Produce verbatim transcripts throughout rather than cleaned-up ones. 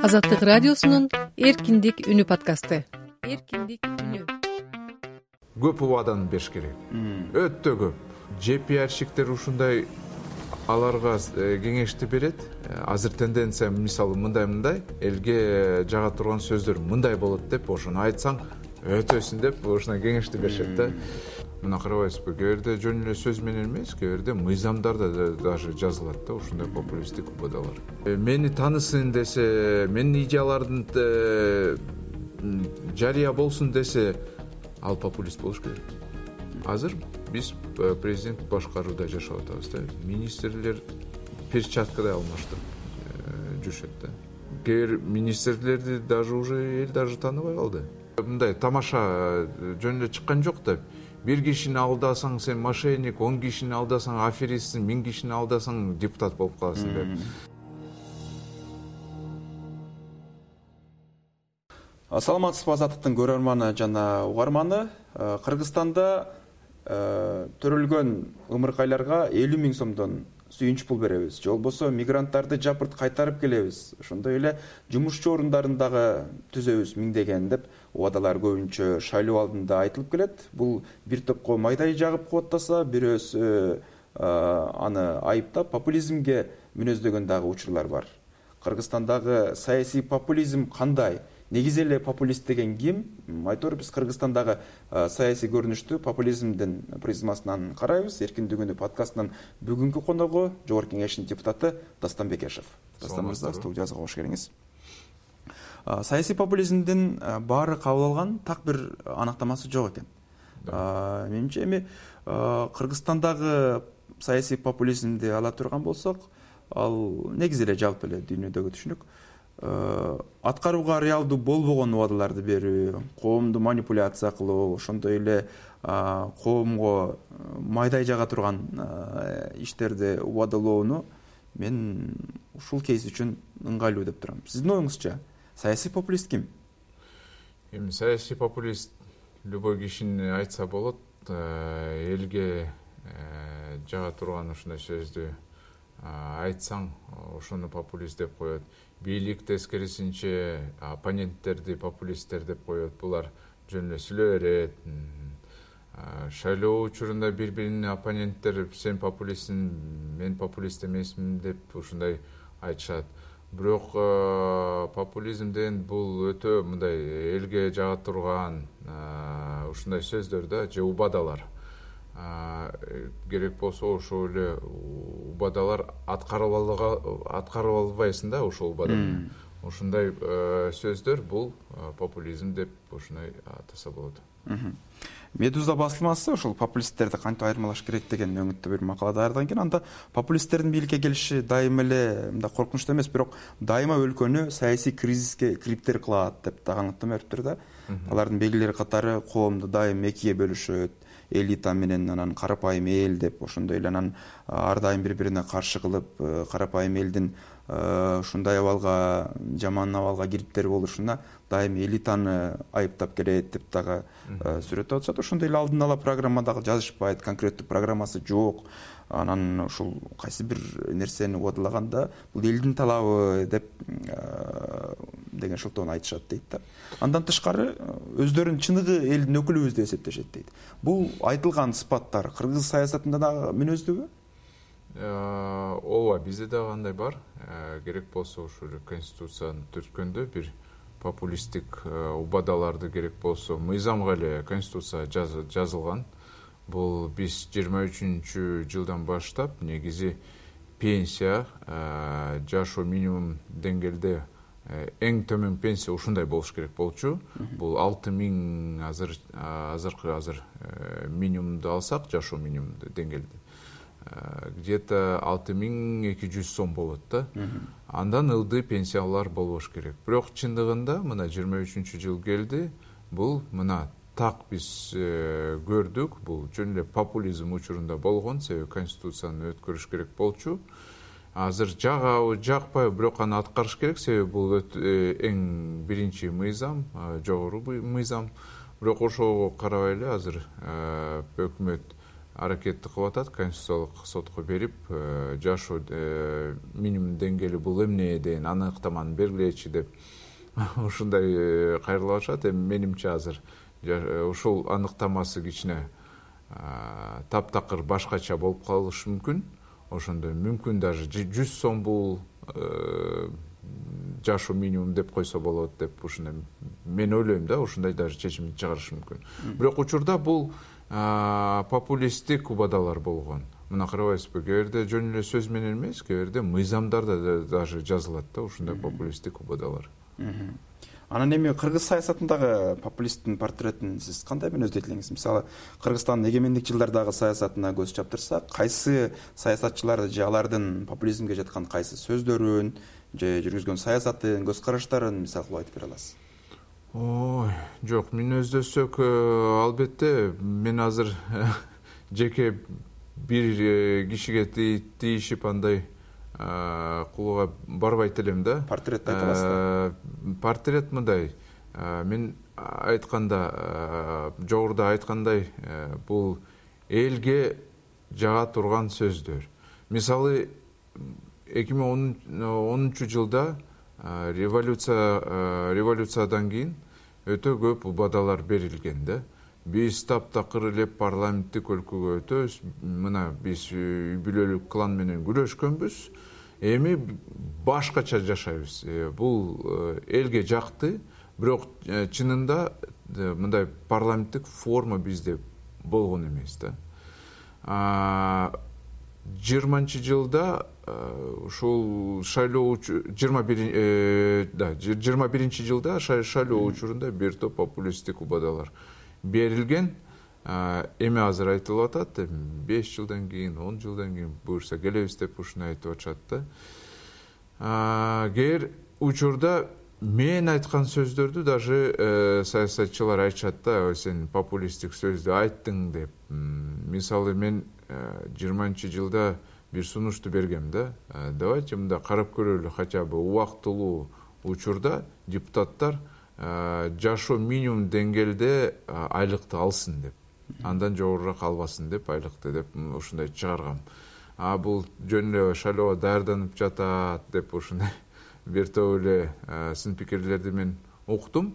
Азаттык радиосунун Эркиндик үнү подкасты. Эркиндик үнү. Көп убадан бериш керек. Өтө көп. Жепиарщиктер ушундай аларга кеңешти берет. Азыр тенденция мисалы мындай-мындай элге жага турган сөздөр мындай болот деп ошону айтсаң өтөсүн деп ошондой кеңешти беришет да. Мына карабайсызбы, кээ бирде жөн эле сөз менен эмес, кээ бирде мыйзамдарда даже жазылат да ушундай популисттик убадалар. Мени таанысын десе, менин идеялардын жарыя болсун десе, ал популист болуш керек. Азыр биз президент башкарууда жашап атабыз да. Министрлер перчаткадай алмаштырып жүрүшөт да. Кээ бир министрлерди даже уже эл даже тааныбай калды. Мындай тамаша жөн эле чыккан жок да. Бир кишини алдасаң сен мошенник, он кишини алдасаң аферистсиң, миң кишини алдасаң депутат болуп каласың деп. Саламатсызбы, Азаттыктын көрөрманы жана угарманы. Кыргызстанда төрөлгөн ымыркайларга элүү миң сомдон сүйүнч пул беребиз. Же болбосо мигранттарды жапырт кайтарып келебиз. Ошондой эле жумушчу орундарын дагы түзөбүз миңдеген деп убадалар көбүнчө шайлоо алдында айтылып келет. Бул бир топко майдай жагып кубаттаса, бирөөсү аны айыптап популизмге мүнөздөгөн дагы учурлар бар. Кыргызстандагы саясий популизм кандай? Негизи эле популист деген ким? Айтор биз Кыргызстандагы саясий көрүнүштү популизмдин призмасынан карайбыз. Эркиндик үнү подкастынын бүгүнкү коногу Жогорку Кеңештин депутаты Дастан Бекешев. Дастан мырза, студиябызга кош келиңиз. Саясий популизмдин баары кабыл алган так бир анактамасы жок экен. Менимче эми Кыргызстандагы саясий популизмди ала турган болсок, ал негизи эле жалпы эле дүйнөдөгү түшүнүк. Аткарууга реалдуу болбогон убадаларды берүү, коомду манипуляция кылуу, ошондой эле коомго майдай жага турган иштерди убадалоону мен ушул кейс үчүн ыңгайлуу деп турам. Сиздин оюңузча, саясий популист ким? Эми саясий популист любой кишини айтса болот, элге жага турган ушундай сөздү айтсаң, ошону популист деп коет. Бийлик тескерисинче оппоненттерди популисттер деп коет. Булар жөн эле сүйлөй берет. Шайлоо учурунда бири-бирине оппоненттер сен популистсиң, мен популист эмесмин деп ушундай айтышат. Бирок популизм деген бул өтө мындай элге жага турган ушундай сөздөр да, же убадалар. Керек болсо ошол эле убадалар аткарып албайсың да ошол убаданы. Ошондой сөздөр бул популизм деп ошондой атаса болот. Медуза басылмасы ошол популисттерди кантип айырмалаш керек деген өңүттүү бир макала даярдаган экен. Анда популисттердин бийликке келиши дайыма эле мындай коркунучтуу эмес, бирок дайыма өлкөнү саясий кризиске кириптер кылат деп дагы аныктама бериптир да. Алардын белгилери катары коомду дайыма экиге бөлүшөт, элита менен анан карапайым эл деп, ошондой эле анан ар дайым бири-бирине каршы кылып, карапайым элдин ушундай абалга, жаман абалга кириптер болушуна дайым элитаны айыптап келет деп дагы сүрөттөп атышат. Ошондой эле алдын ала программа дагы жазышпайт, конкреттүү программасы жок. Анан ушул кайсы бир нерсени убадалаганда бул элдин талабы деп деген шылтоону айтышат дейт да. Андан тышкары өздөрүн чыныгы элдин өкүлүбүз деп эсептешет дейт. Бул айтылган сыпаттар кыргыз саясатында дагы мүнөздүүбү? Ооба, бизде дагы андай бар. Керек болсо ушул конституцияны түрткөндө бир популисттик убадаларды керек болсо мыйзамга эле конституция жазылган. Бул биз жыйырма үчүнчү жылдан баштап негизи пенсия, жашоо минимум деңгээлде эң төмөн пенсия ушундай болуш керек болчу. Бул алты миң азыр азыркы азыр минимумду алсак, жашоо минимум деңгээлде где-то алты миң эки жүз сом болот да. Андан ылдый пенсиялар болбош керек. Бирок чындыгында мына жыйырма үчүнчү жыл келди. Бул мына так биз көрдүк. Бул жөн эле популизм учурунда болгон, себеби конституцияны өткөрүш керек болчу. Азыр жагабы, жакпайбы, бирок аны аткарыш керек, себеби бул эң биринчи мыйзам, жогору мыйзам. Бирок ошого карабай эле азыр өкмөт аракетти кылып атат, конституциялык сотко берип, жашоо минимум деңгээли бул эмне деген аныктаманы бергилечи деп ушундай кайрылып атышат. Эми менимче азыр ушул аныктамасы кичине таптакыр башкача болуп калышы мүмкүн. Ошондо мүмкүн даже жүз сом бул жашоо минимум деп койсо болот деп ушундай мен ойлойм да, ушундай даже чечимди чыгарышы мүмкүн. Бирок учурда бул популисттик убадалар болгон. Мына карабайсызбы, кээ бирде жөн эле сөз менен эмес, кээ бирде мыйзамдарда даже жазылат да ушундай популисттик убадалар. Анан эми кыргыз саясатындагы популисттин портретин сиз кандай мүнөздөйт элеңиз? Мисалы, Кыргызстандын эгемендик жылдардагы саясатына көз чаптырсак, кайсы саясатчылар же алардын популизмге жаткан кайсы сөздөрүн же жүргүзгөн саясатын, көз караштарын мисал кылып айтып бере аласыз? Ой, жок, мүнөздөсөк, албетте мен азыр жеке бир кишиге тийишип андай кылууга барбайт элем да. Портрет айта аласызбы? Портрет мындай. Мен айтканда, жогоруда айткандай, бул элге жага турган сөздөр. Мисалы, эки миң онунчу жылда революция революциядан кийин өтө көп убадалар берилген да. Биз таптакыр эле парламенттик өлкөгө өтөбүз. Мына биз үй бүлөлүк клан менен күрөшкөнбүз. Эми башкача жашайбыз. Бул элге жакты, бирок чынында мындай парламенттик форма бизде болгон эмес да. жыйырманчы жылда ушул шайлоо жыйырма биринчи жылда шайлоо учурунда бир топ популисттик убадалар берилген. Эми азыр айтылып атат, беш жылдан кийин, он жылдан кийин буюрса келебиз деп ушуну айтып атышат да. Кээ учурда мен айткан сөздөрдү даже саясатчылар айтышат да, сен популисттик сөздү айттың деп. Мисалы, мен жыйырманчы жылда бир сунушту бергем да. Давайте мында карап көрөлү, хотя бы убактылуу учурда депутаттар жашоо минимум деңгээлде айлыкты алсын деп. Андан жогорураак албасын деп, айлыкты деп ушундай чыгаргам. А бул жөн эле шайлоого даярданып жатат деп ушундай бир топ эле сын пикирлерди мен уктум.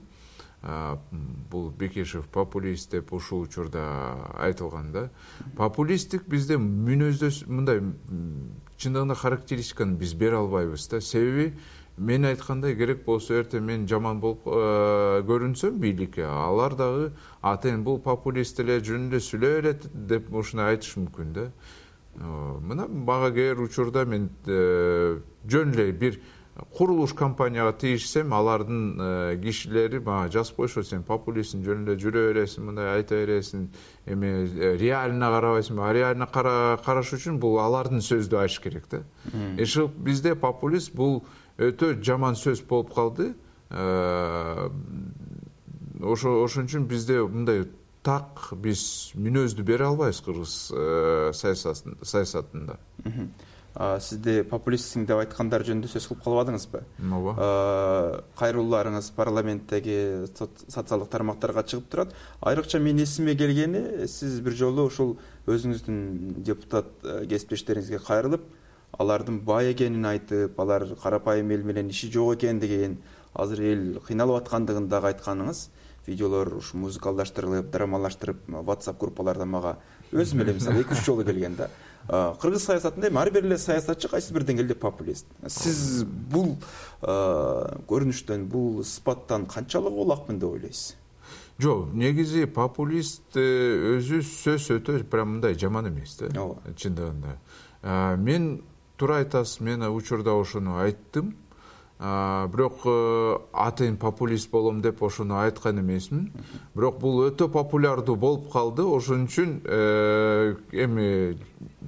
Бул Бекешев популист деп ушул учурда айтылган да. Популисттик бизде мүнөздөс мындай чындыгында характеристиканы биз бере албайбыз да. Себеби мен айткандай, керек болсо эртең мен жаман болуп көрүнсөм бийликке, алар дагы атен бул популист эле, жөн эле сүйлөп берет деп ушуну айтышы мүмкүн да. Мына мага кээ бир учурда мен жөн эле бир курулуш компанияга тийишсем, алардын кишилери мага жазып коюшот, сен популистсиң, жөн эле жүрө бересиң, мындай айта бересиң, эми реально карабайсың. А реально караш үчүн бул алардын сөздү айтыш керек да. Эши бизде популист бул өтө жаман сөз болуп калды. Ошо ошон үчүн бизде мындай так биз мүнөздү бере албайбыз кыргыз саясатында. Сизде популистсиң деп айткандар жөнүндө сөз кылып калбадыңызбы? Ооба. Кайрылууларыңыз парламенттеги социалдык тармактарга чыгып турат. Айрыкча мен эсиме келгени, сиз бир жолу ушул өзүңүздүн депутат кесиптештериңизге кайрылып, алардын бай экенин айтып, алар карапайым эл менен иши жок экен деген, азыр эл кыйналып аткандыгын дагы айтканыңыз, видеолор ушу музыкалдаштырылып, драмалаштырып, WhatsApp группаларда мага өзүм эле мисалы эки үч жолу келген да. Кыргыз саясатында эми ар бир эле саясатчы кайсы бир деңгээлде популист. Сиз бул көрүнүштөн, бул сыпаттан канчалык улакмын деп ойлойсуз? Жок, негизи популист өзү сөз өтө прям мындай жаман эмес да. Чындыгында. Мен туура айтасыз, мен учурда ошону айттым. Бирок атайын популист болом деп ошону айткан эмесмин. Бирок бул өтө популярдуу болуп калды, ошон үчүн эми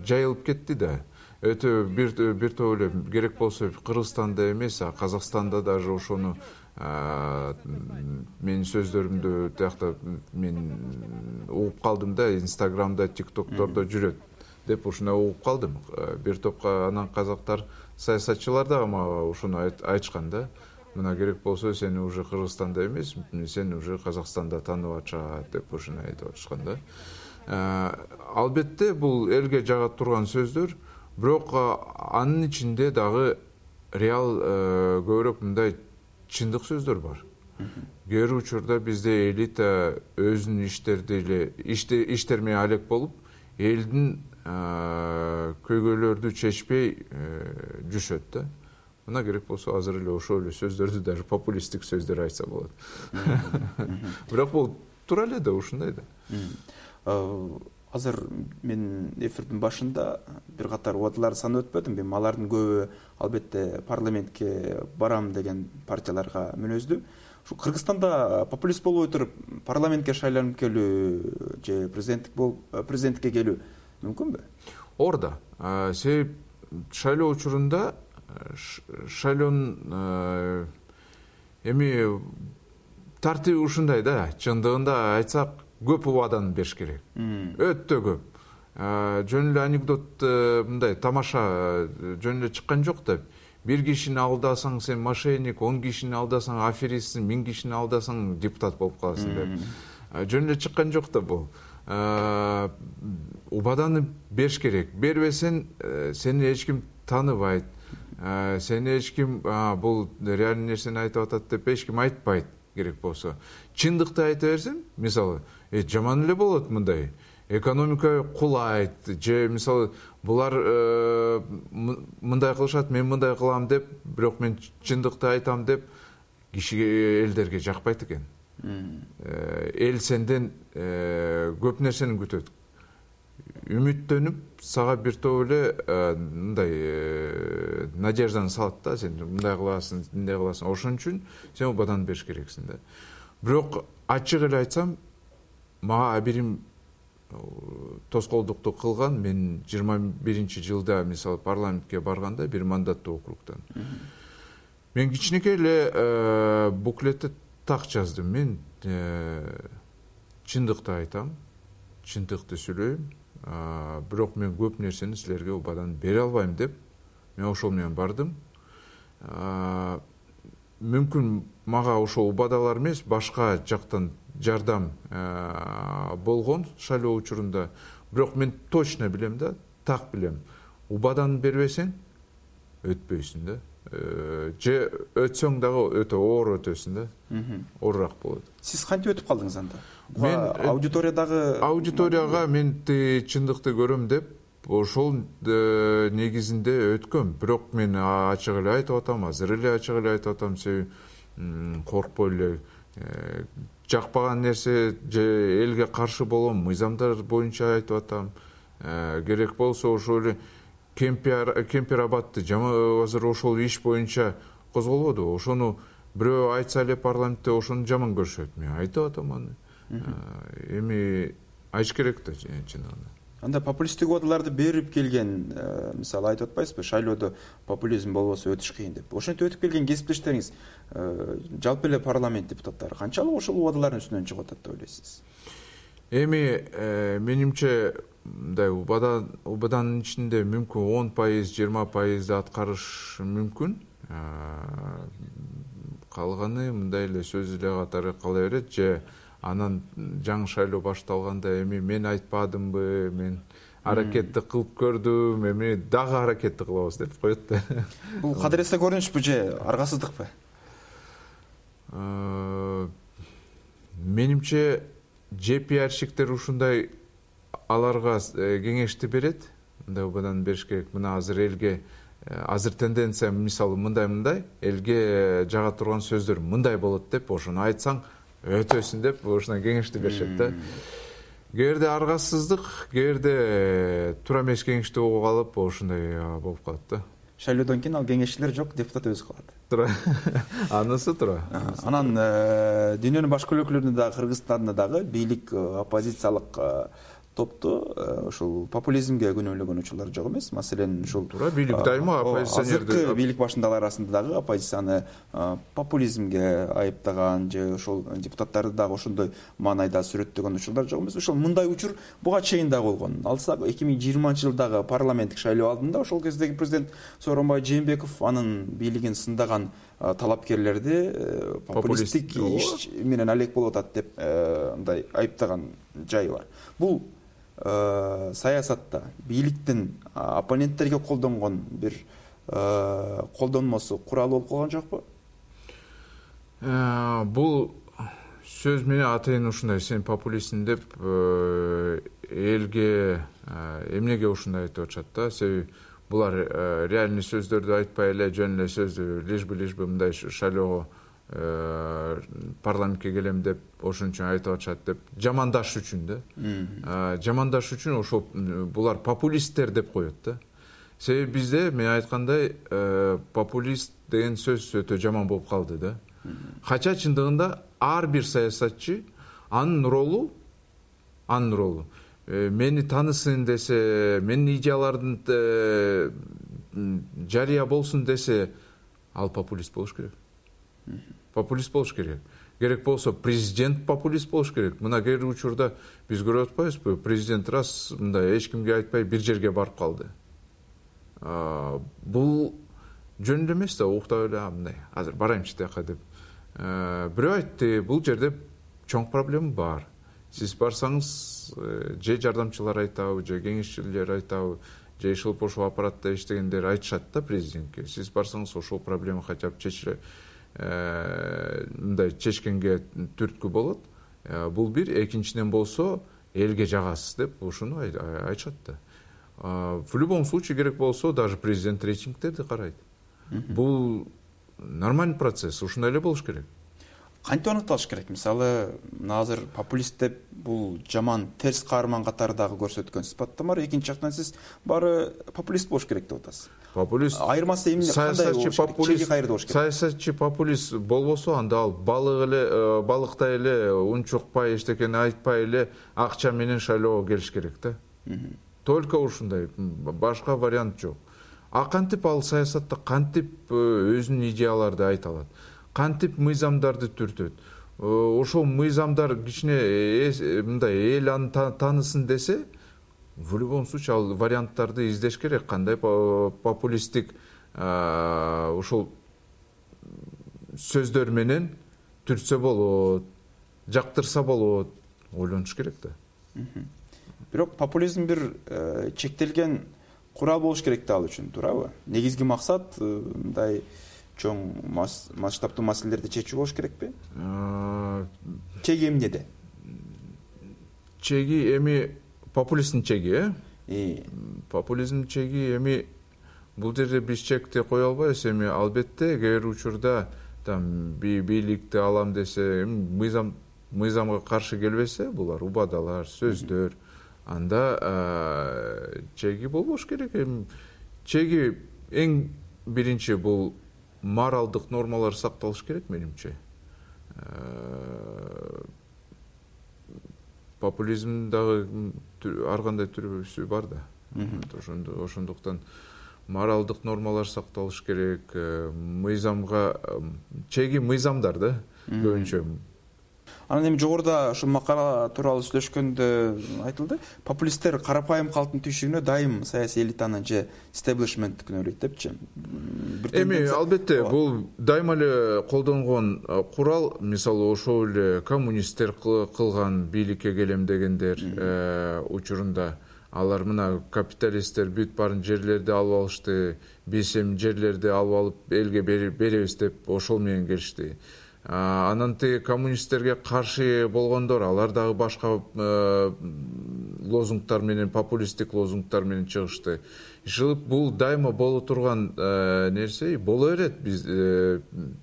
жайылып кетти да. Өтө бир бир топ эле керек болсо Кыргызстанда эмес, а Казакстанда даже ошону менин сөздөрүмдү тиякта мен угуп калдым да, Инстаграмда, ТикТоктордо жүрөт деп ушуну угуп калдым. Бир топко анан казактар саясатчылар дагы мага ушуну айтышкан да. Мына керек болсо сени уже Кыргызстанда эмес, сени уже Казакстанда таанып атышат деп ушуну айтып атышкан да. Албетте бул элге жага турган сөздөр, бирок анын ичинде дагы реал көбүрөөк мындай чындык сөздөр бар. Кээ бир учурда бизде элита өзүнүн иштерди эле иштер менен алек болуп, элдин көйгөйлөрдү чечпей жүрүшөт да. Мына керек болсо азыр эле ошол эле сөздөрдү даже популисттик сөздөр айтса болот. Бирок бул туура эле да, ушундай да. Азыр мен эфирдин башында бир катар убадаларды санап өтпөдүм. Мен алардын көбү албетте парламентке барам деген партияларга мүнөздүү. Ушу Кыргызстанда популист болбой туруп парламентке шайланып келүү же президенттик болуп президенттикке келүү мүмкүнбү? Орда. Себеп шайлоо учурунда шайлоонун эми тартиби ушундай да, чындыгында айтсак көп убаданы бериш керек. Өтө көп. Жөн эле анекдот мындай тамаша жөн эле чыккан жок да. Бир кишини алдасаң сен мошенник, он кишини алдасаң аферистсиң, миң кишини алдасаң депутат болуп каласың деп. Жөн эле чыккан жок да бул. Убаданы бериш керек. Бербесең сени эч ким тааныбайт. Сени эч ким бул реальный нерсени айтып атат деп эч ким айтпайт керек болсо. Чындыкты айта берсең, мисалы, э жаман эле болот мындай. Экономика кулайт, же мисалы булар мындай кылышат, мен мындай кылам деп, бирок мен чындыкты айтам деп кишиге, элдерге жакпайт экен. Эл сенден көп нерсени күтөт. Үмүттөнүп, сага бир топ эле мындай надежданы салат да, сен мындай кыласың, мындай кыласың. Ошон үчүн сен убадан бериш керексиң да. Бирок ачык эле айтсам, мага абирим тоскоолдукту кылган. Мен жыйырма биринчи жылда мисалы парламентке барганда бир мандаттуу округтан. Мен кичинекей эле буклетте так жаздым. Мен чындыкты айтам, чындыкты сүйлөйм. Бирок мен көп нерсени силерге убадан бере албайм деп, мен ошол менен бардым. Мүмкүн мага ошол убадалар эмес, башка жактан жардам болгон шайлоо учурунда. Бирок мен точно билем да, так билем. Убадан бербесең өтпөйсүң да. Же өтсөң дагы өтө оор өтөсүң да. Оорураак болот. Сиз кантип өтүп калдыңыз анда? Мен аудиториядагы аудиторияга мен чындыкты көрөм деп ошол негизинде өткөм. Бирок мен ачык эле айтып атам, азыр эле ачык эле айтып атам, себеби коркпой эле жакпаган нерсе же элге каршы болгон мыйзамдар боюнча айтып атам. Керек болсо ошол эле кемпир абатты азыр ошол иш боюнча козголбодубу? Ошону бирөө айтса эле парламентте ошону жаман көрүшөт. Мен айтып атам аны. Эми айтыш керек да чындыгында. Анда популисттик убадаларды берип келген, мисалы айтып атпайсызбы, шайлоодо популизм болбосо өтүш кыйын деп. Ошентип өтүп келген кесиптештериңиз, жалпы эле парламент депутаттары канчалык ошол убадалардын үстүнөн чыгып атат деп ойлойсуз? Эми менимче мындай убада убаданын ичинде мүмкүн он пайыз, жыйырма пайызды аткарыш мүмкүн. Калганы мындай эле сөз эле катары кала берет, же анан жаңы шайлоо башталганда эми мен айтпадымбы, мен аракетти кылып көрдүм, эми дагы аракетти кылабыз деп коет да. Бул кадыресте көрүнүшпү же аргасыздыкпы? Менимче же пиарщиктер ушундай аларга кеңешти берет, мындай убадан бериш керек. Мына азыр элге азыр тенденция мисалы мындай-мындай, элге жага турган сөздөр мындай болот деп, ошону айтсаң өтөсүн деп ошондой кеңешти беришет да. Кээде аргасыздык, кээде туура эмес кеңешти угуп алып, ошондой болуп калат да. Шайлоодон кийин ал кеңешчилер жок, депутат өзү калат. Туура. Анысы туура. Анан дүйнөнүн башка өлкөлөрүндө дагы, Кыргызстанда дагы бийлик оппозициялык топту ушул популизмге күнөөлөгөн учурлар жок эмес. Маселен, ушул туура бийлик дайыма оппозиционерди, азыркы бийлик башындагылар арасында дагы оппозицияны популизмге айыптаган же ошол депутаттарды дагы ошондой маанайда сүрөттөгөн учурлар жок эмес. Ошол мындай учур буга чейин да болгон. Алсак эки миң жыйырманчы жылдагы парламенттик шайлоо алдында ошол кездеги президент Сооронбай Жээнбеков анын бийлигин сындаган талапкерлерди популисттик иш менен алек болуп атат деп мындай айыптаган жайы бар. Бул саясатта бийликтин оппоненттерге колдонгон бир колдонмосу курал болуп калган жокпу? Бул сөз менен атайын ушундай, сен популистсиң деп элге эмнеге ушундай айтып атышат да? Себеби булар реальный сөздөрдү айтпай эле, жөн эле сөздү лишь бы лишь бы мындай шайлоого парламентке келем деп ошон үчүн айтып атышат деп жамандаш үчүн да. Жамандаш үчүн ошол булар популисттер деп коет да. Себеби бизде мен айткандай популист деген сөз өтө жаман болуп калды да. Кача чындыгында ар бир саясатчы анын ролу, анын ролу мени таанысын десе, менин идеялардын жарыя болсун десе, ал популист болуш керек. Популист болуш керек. Керек болсо президент популист болуш керек. Мына кээ бир учурда биз көрүп атпайбызбы? Президент раз мындай эч кимге айтпай бир жерге барып калды. Бул жөн эле эмес да, уктап эле мындай азыр барайынчы тияка деп. Бирөө айтты, бул жерде чоң проблема бар. Сиз барсаңыз, же жардамчылар айтабы, же кеңешчилер айтабы, же ишилип ошол аппаратта иштегендер айтышат да президентке. Сиз барсаңыз ошол проблема хотя бы чечиле, мындай чечкенге түрткү болот. Бул бир, экинчиден болсо элге жагасыз деп ушуну айтышат да. В любом случае керек болсо даже президент рейтингтерди карайт. Бул нормальный процесс, ушундай эле болуш керек. Кантип аныкталыш керек? Мисалы, азыр популист деп бул жаман терс каарман катары дагы көрсөткөн сыпаттама бар. Экинчи жактан сиз баары популист болуш керек деп атасыз. Популист айырмасы эмне, кандай болуш керек? Чеги кайерде болуш керек? Саясатчы популист болбосо, анда ал балык эле, балыктай эле унчукпай, эчтекени айтпай эле акча менен шайлоого келиш керек да. Только ушундай, башка вариант жок. А кантип ал саясатта кантип өзүнүн идеяларды айта алат? Кантип мыйзамдарды түртөт? Ошол мыйзамдар кичине мындай эл аны таанысын десе, в любом случае ал варианттарды издеш керек. Кандай популисттик ошол сөздөр менен түртсө болот, жактырса болот, ойлонуш керек да. Бирок популизм бир чектелген курал болуш керек да ал үчүн, туурабы? Негизги максат мындай чоң масштабтуу маселелерди чечүү болуш керекпи? Чеги эмнеде? Чеги эми популисттин чеги, э? Популизм чеги эми бул жерде биз чекти кое албайбыз. Эми албетте кээ бир учурда там бийликти алам десе, мыйзам мыйзамга каршы келбесе, булар убадалар, сөздөр, анда чеги болбош керек. Чеги эң биринчи бул моралдык нормалар сакталыш керек менимче. Популизм дагы ар кандай түрүсү бар да. Ошондуктан моралдык нормалар сакталыш керек. Мыйзамга чеги мыйзамдар да көбүнчө. Анан эми жогоруда ушул макала тууралуу сүйлөшкөндө айтылды, популисттер карапайым калктын түйшүгүнө дайым саясий элитаны же стеблишментти күнөөлөйт депчи. Эми албетте бул дайыма эле колдонгон курал, мисалы ошол эле коммунисттер кылган бийликке келем дегендер учурунда алар мына капиталисттер бүт баарын жерлерди алып алышты, биз эми жерлерди алып алып элге беребиз деп ошол менен келишти. Анан тиги коммунисттерге каршы болгондор, алар дагы башка лозунгтар менен, популисттик лозунгтар менен чыгышты. Ишилип бул дайыма боло турган нерсе, боло берет, биз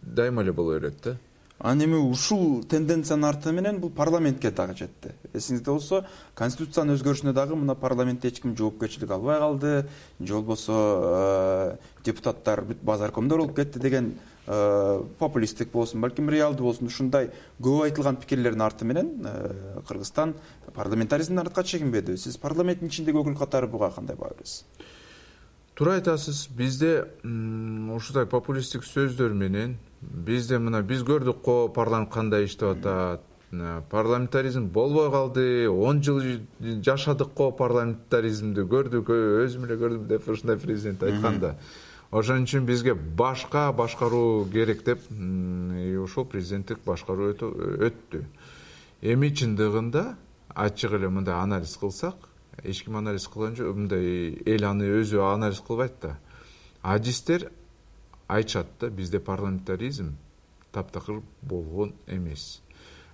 дайыма эле боло берет да. Анан эми ушул тенденциянын арты менен бул парламентке дагы жетти. Эсиңизде болсо, конституциянын өзгөрүшүнө дагы мына парламентте эч ким жоопкерчилик албай калды, же болбосо депутаттар бүт базаркомдор болуп кетти деген популисттик болсун, балким реалдуу болсун, ушундай көп айтылган пикирлердин арты менен Кыргызстан парламентаризмден артка чегинбеди. Сиз парламенттин ичиндеги өкүл катары буга кандай баа бересиз? Туура айтасыз. Бизде ушундай популисттик сөздөр менен бизде мына биз көрдүк го парламент кандай иштеп атат. Парламентаризм болбой калды. он жыл жашадык го парламентаризмди, көрдүк, өзүм эле көрдүм деп ушундай президент айтканда. Ошон үчүн бизге башка башкаруу керек деп ошол президенттик башкаруу өттү. Эми чындыгында ачык эле мындай анализ кылсак, эч ким анализ кылган жок, мындай эл аны өзү анализ кылбайт да. Адистер айтышат да, бизде парламентаризм таптакыр болгон эмес.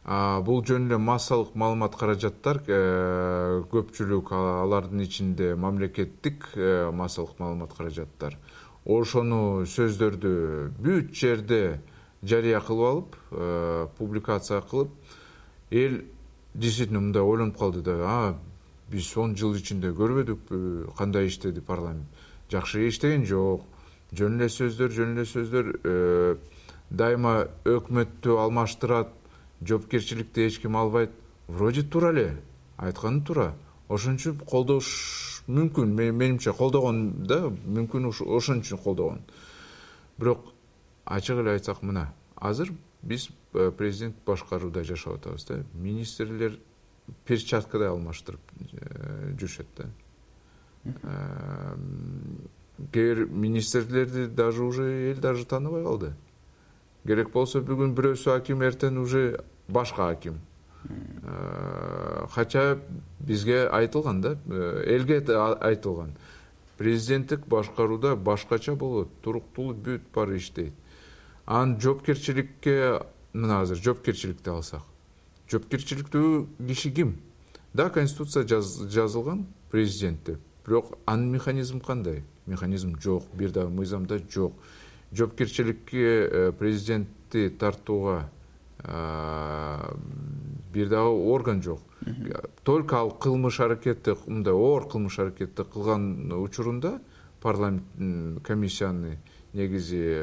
Бул жөн эле массалык маалымат каражаттар, көпчүлүк алардын ичинде мамлекеттик массалык маалымат каражаттар ошону сөздөрдү бүт жерде жарыя кылып алып, публикация кылып, эл действительно мындай ойлонуп калды да, а биз он жыл ичинде көрбөдүкпү кандай иштеди парламент. Жакшы иштеген жок. Жөн эле сөздөр, жөн эле сөздөр, дайыма өкмөттү алмаштырат, жоопкерчиликти эч ким албайт. Вроде туура эле, айтканы туура. Ошон үчүн колдош мүмкүн, менимче колдогон да, мүмкүн ошон үчүн колдогон. Бирок ачык эле айтсак, мына азыр биз президент башкарууда жашап атабыз да. Министрлер перчаткадай алмаштырып жүрүшөт да. Кээ бир министрлерди даже уже эл даже тааныбай калды. Керек болсо бүгүн бирөөсү аким, эртең уже башка аким. Хотя бизге айтылган да, элге айтылган. Президенттик башкарууда башкача болот, туруктуу бүт баары иштейт. Анын жоопкерчиликке, мына азыр жоопкерчиликти алсак, жоопкерчиликтүү киши ким? Да, конституция жазылган президент деп. Бирок анын механизм кандай? Механизм жок, бир дагы мыйзамда жок. Жоопкерчиликке президентти тартууга бир дагы орган жок. Только ал кылмыш аракетти, мындай оор кылмыш аракетти кылган учурунда парламент комиссияны негизи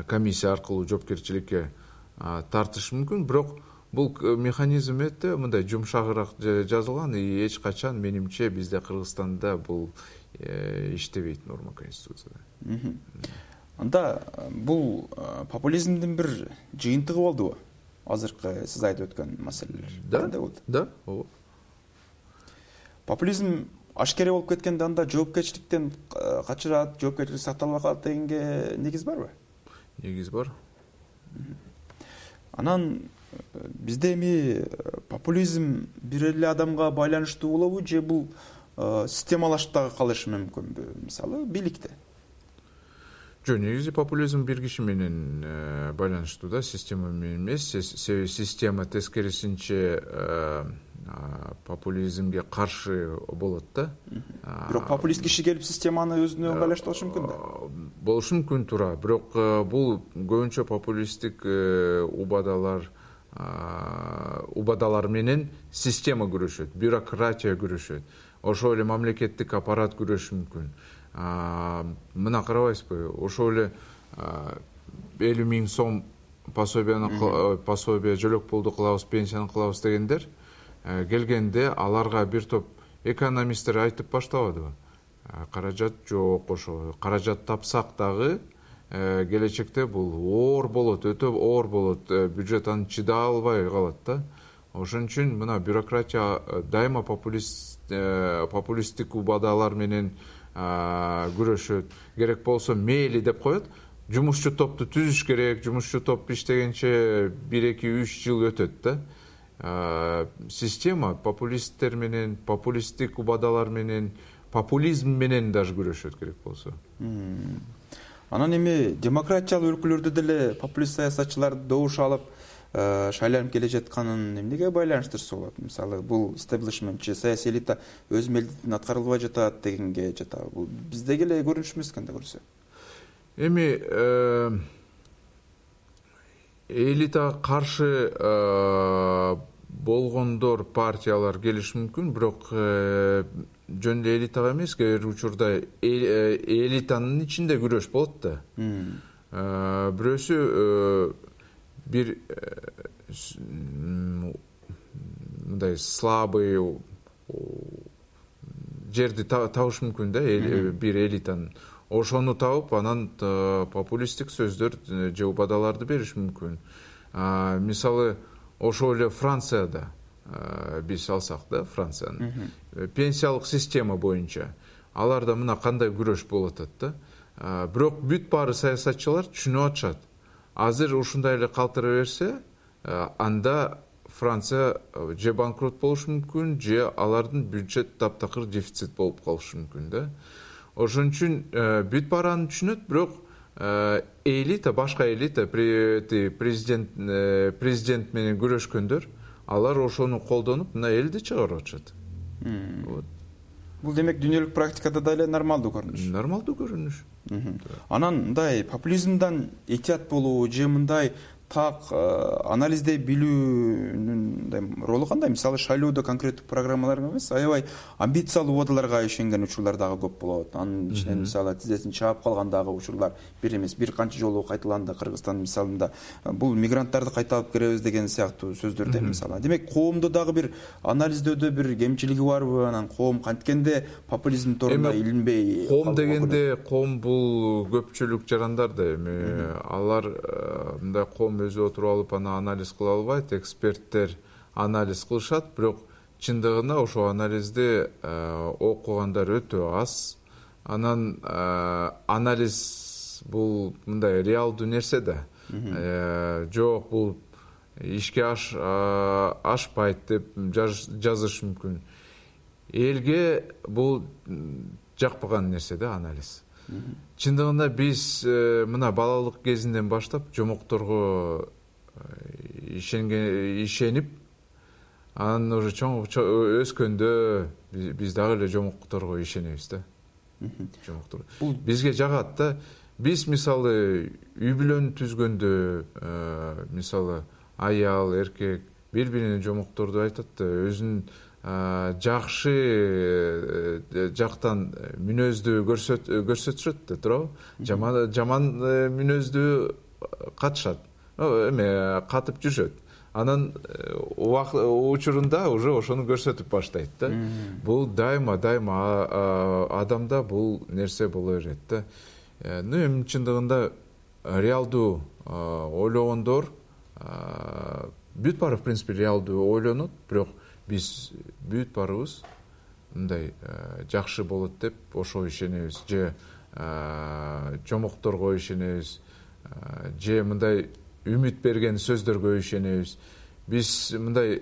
комиссия аркылуу жоопкерчиликке тартыш мүмкүн. Бирок бул механизм өтө мындай жумшагыраак жазылган, и эч качан менимче бизде Кыргызстанда бул иштебейт норма конституцияда. Анда бул популизмдин бир жыйынтыгы болдубу? Азыркы сиз айтып өткөн маселелер. Да, да, ооба. Популизм ашкере болуп кеткенде анда жоопкерчиликтен качырат, жоопкерчилик сакталбай калат дегенге негиз барбы? Негиз бар. Анан бизде эми популизм бир эле адамга байланыштуу болобу, же бул системалашып дагы калышы мүмкүнбү? Мисалы, бийликте. Жок, негизи популизм бир киши менен байланыштуу да, система менен эмес. Система тескерисинче популизмге каршы болот да. Бирок популист киши келип системаны өзүнө ыңгайлаштырышы мүмкүн да. Болушу мүмкүн, туура. Бирок бул көбүнчө популисттик убадалар убадалар менен система күрөшөт, бюрократия күрөшөт. Ошол эле мамлекеттик аппарат күрөшү мүмкүн. Мына карабайсызбы, ошол эле элүү миң сом пособияны пособия жөлөк пулду кылабыз, пенсияны кылабыз дегендер келгенде аларга бир топ экономисттер айтып баштабадыбы? Каражат жок, ошо каражат тапсак дагы келечекте бул оор болот, өтө оор болот, бюджет аны чыдай албай калат да. Ошон үчүн мына бюрократия дайыма популист популисттик убадалар менен күрөшөт. Керек болсо мейли деп коет. Жумушчу топту түзүш керек, жумушчу топ иштегенче бир эки үч жыл өтөт да. Система популисттер менен, популисттик убадалар менен, популизм менен даже күрөшөт керек болсо. Анан эми демократиялык өлкөлөрдө деле популист саясатчылар добуш алып шайланып келе жатканын эмнеге байланыштырса болот? Мисалы, бул стеблишментчи, саясий элита өз милдетин аткарылбай жатат дегенге жатабы? Бул биздеги эле көрүнүш эмес экен да көрсө. Эми элитага каршы болгондор, партиялар келиши мүмкүн, бирок жөн эле элитага эмес, кээ бир учурда элитанын ичинде күрөш болот да. Бирөөсү бир мындай слабый жерди табыш мүмкүн да, бир элитанын. Ошону табып, анан популисттик сөздөр же убадаларды бериш мүмкүн. Мисалы, ошол эле Францияда биз алсак да, Францияны пенсиялык система боюнча аларда мына кандай күрөш болуп атат да. Бирок бүт баары саясатчылар түшүнүп атышат. Азыр ушундай эле калтыра берсе, анда Франция же банкрот болушу мүмкүн, же алардын бюджет таптакыр дефицит болуп калышы мүмкүн да. Ошон үчүн бүт бараны түшүнөт, бирок элита, башка элита, президент президент менен күрөшкөндөр, алар ошону колдонуп мына элди чыгарып атышат. Бул демек дүйнөлүк практикада да эле нормалдуу көрүнүш. Нормалдуу көрүнүш. Анан мындай популизмден этият болуу же мындай так анализдей билүүнүн мындай ролу кандай? Мисалы шайлоодо конкреттик программалар эмес, аябай амбициялуу убадаларга ишенген учурлар дагы көп болот. Анын ичинен мисалы тизесин чаап калган дагы учурлар бир эмес, бир канча жолу кайталанды Кыргызстан мисалында. Бул мигранттарды кайта алып киребиз деген сыяктуу сөздөрдө мисалы. Демек коомдо дагы бир анализдөөдө бир кемчилиги барбы? Анан коом канткенде популизм торуна илинбей? Коом дегенде, коом бул көпчүлүк жарандар да эми, алар мындай коом өзү отуруп алып аны анализ кыла албайт, эксперттер анализ кылышат, бирок чындыгында ошол анализди окугандар өтө аз. Анан анализ бул мындай реалдуу нерсе да. Жок, бул ишке ашпайт деп жазыш мүмкүн. Элге бул жакпаган нерсе да анализ. Чындыгында биз мына балалык кезинден баштап жомокторго ишенген ишенип, анан уже чоң өскөндө биз дагы эле жомокторго ишенебиз да. Жомоктор бизге жагат да. Биз мисалы үй бүлөнү түзгөндө, мисалы аял, эркек бири-бирине жомокторду айтат да, өзүнүн жакшы жактан мүнөздү көрсөтүшөт да, туурабы? Жаман жаман мүнөздү катышат. Эме катып жүрүшөт. Анан учурунда уже ошону көрсөтүп баштайт да. Бул дайыма дайыма адамда бул нерсе боло берет да. Ну эми чындыгында реалдуу ойлогондор бүт баары в принципе реалдуу ойлонот, бирок биз бүт баарыбыз мындай жакшы болот деп ошо ишенебиз, же жомокторго ишенебиз, же мындай үмүт берген сөздөргө ишенебиз. Биз мындай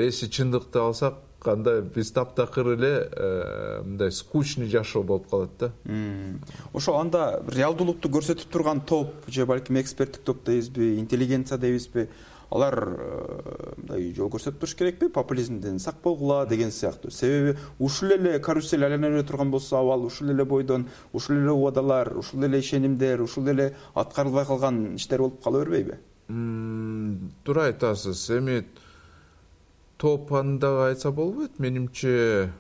эси чындыкты алсак, анда биз таптакыр эле мындай скучный жашоо болуп калат да. Ошо анда реалдуулукту көрсөтүп турган топ, же балким эксперттик топ дейбизби, интеллигенция дейбизби, алар мындай жол көрсөтүп туруш керекпи? Популизмден сак болгула деген сыяктуу. Себеби ушул эле карусель айлана бере турган болсо, абал ушул эле бойдон, ушул эле убадалар, ушул эле ишенимдер, ушул эле аткарылбай калган иштер болуп кала бербейби? Туура айтасыз. Эми топ анда айтса болбойт. Менимче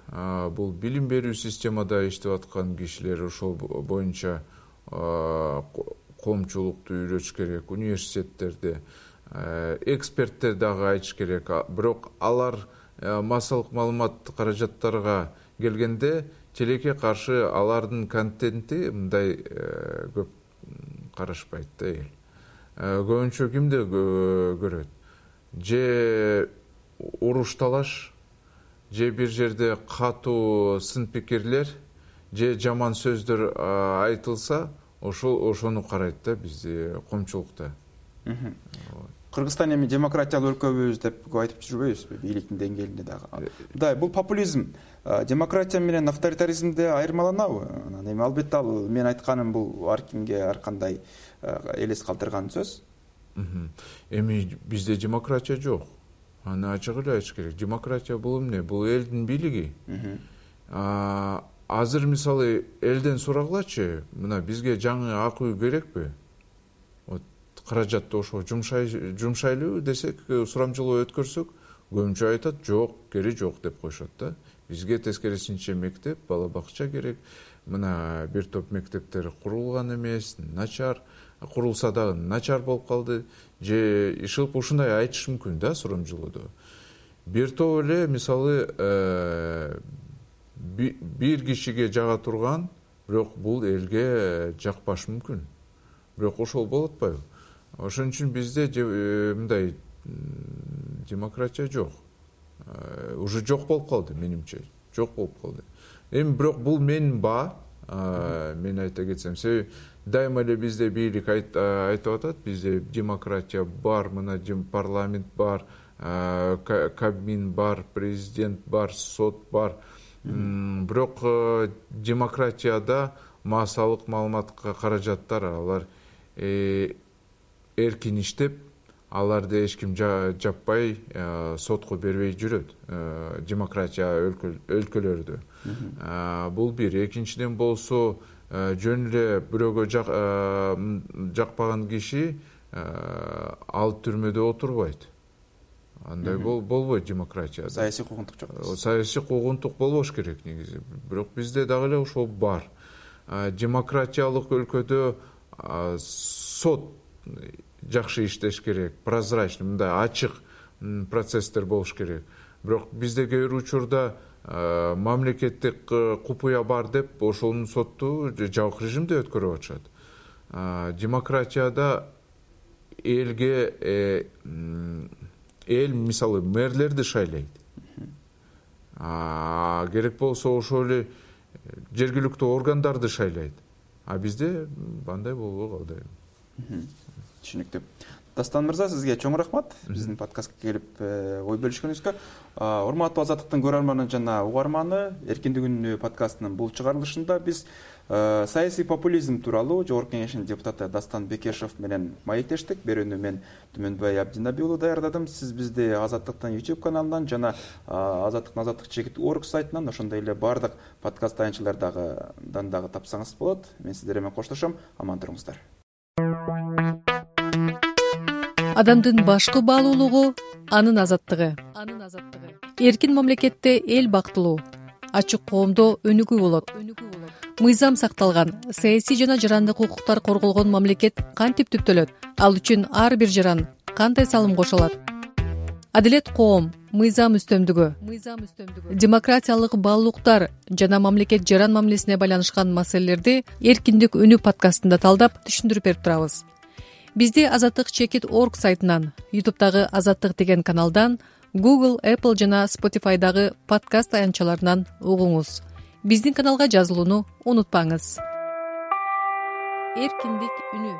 бул билим берүү системада иштеп аткан кишилер ошол боюнча коомчулукту үйрөтүш керек, университеттерде эксперттер дагы айтыш керек. Бирок алар массалык маалымат каражаттарга келгенде тилекке каршы алардын контенти мындай көп карашпайт да эл. Көбүнчө кимди көрөт? Же уруш талаш, же бир жерде катуу сын пикирлер, же жаман сөздөр айтылса, ошол ошону карайт да бизде коомчулукта. Кыргызстан эми демократиялуу өлкөбүз деп айтып жүрбөйбүзбү, бийликтин деңгээлинде дагы. Мындай бул популизм демократия менен авторитаризмде айырмаланабы? Анан эми албетте ал мен айтканым бул ар кимге ар кандай элес калтырган сөз. Эми бизде демократия жок. Аны ачык эле айтыш керек. Демократия бул эмне? Бул элдин бийлиги. Азыр мисалы элден сурагылачы, мына бизге жаңы ак үй керекпи? Каражатты ошо жумшайлы десек, сурамжылоо өткөрсөк, көбүнчө айтат, жок, кери жок деп коюшат да. Бизге тескерисинче мектеп, бала бакча керек. Мына бир топ мектептер курулган эмес, начар, курулса дагы начар болуп калды. Же ишылып ушундай айтыш мүмкүн да сурамжылоодо. Бир топ эле мисалы бир кишиге жага турган, бирок бул элге жакпашы мүмкүн. Бирок ошол болуп атпайбы? Ошон үчүн бизде мындай демократия жок. Уже жок болуп калды менимче. Жок болуп калды. Эми бирок бул менин баа, мен айта кетсем, себеби дайыма эле бизде бийлик айтып атат, бизде демократия бар, мына парламент бар, Кабмин бар, президент бар, сот бар. Бирок демократияда массалык маалыматка каражаттар алар эркин иштеп, аларды эч ким жаппай сотко бербей жүрөт демократия өлкөлөрдө. Бул бир. Экинчиден болсо, жөн эле бирөөгө жакпаган киши ал түрмөдө отурбайт. Андай болбойт демократияда. Саясий куугунтук жок. Саясий куугунтук болбош керек негизи. Бирок бизде дагы эле ошол бар. Демократиялык өлкөдө сот жакшы иштеш керек, прозрачный, мындай ачык процесстер болуш керек. Бирок бизде кээ бир учурда мамлекеттик купуя бар деп ошонун сотту жабык режимде өткөрүп атышат. Демократияда элге эл мисалы мэрлерди шайлайт. Керек болсо ошол эле жергиликтүү органдарды шайлайт. А бизде андай болбой калды. Түшүнүктүү. Дастан мырза, сизге чоң рахмат биздин подкастка келип ой бөлүшкөнүңүзгө. Урматтуу Азаттыктын көрөрманы жана угарманы, Эркиндик үнү подкастынын бул чыгарылышында биз саясий популизм тууралуу Жогорку Кеңештин депутаты Дастан Бекешев менен маектештик. Берүүнү мен Түмөнбай Абдинаби уулу даярдадым. Сиз бизди Азаттыктын YouTube каналынан жана Азаттыктын Азаттык чекит точка орг сайтынан, ошондой эле бардык подкаст таянчылардан дагы тапсаңыз болот. Мен сиздер менен коштошом. Аман туруңуздар. Адамдын башкы баалуулугу анын азаттыгы. Анын азаттыгы. Эркин мамлекетте эл бактылуу, ачык коомдо өнүгүү болот. Мыйзам сакталган, саясий жана жарандык укуктар корголгон мамлекет кантип түптөлөт? Ал үчүн ар бир жаран кандай салым кошулат? Адилет коом, мыйзам үстөмдүгү, мыйзам үстөмдүгү, демократиялык баалуулуктар жана мамлекет жаран мамилесине байланышкан маселелерди Эркиндик үнү подкастында талдап түшүндүрүп берип турабыз. Бизди Азаттык чекит точка орг сайтынан, YouTube'дагы Азаттык деген каналдан, Google, Apple жана Spotify'дагы подкаст таянчаларынан угуңуз. Биздин каналга жазылууну унутпаңыз. Эркиндик үнү.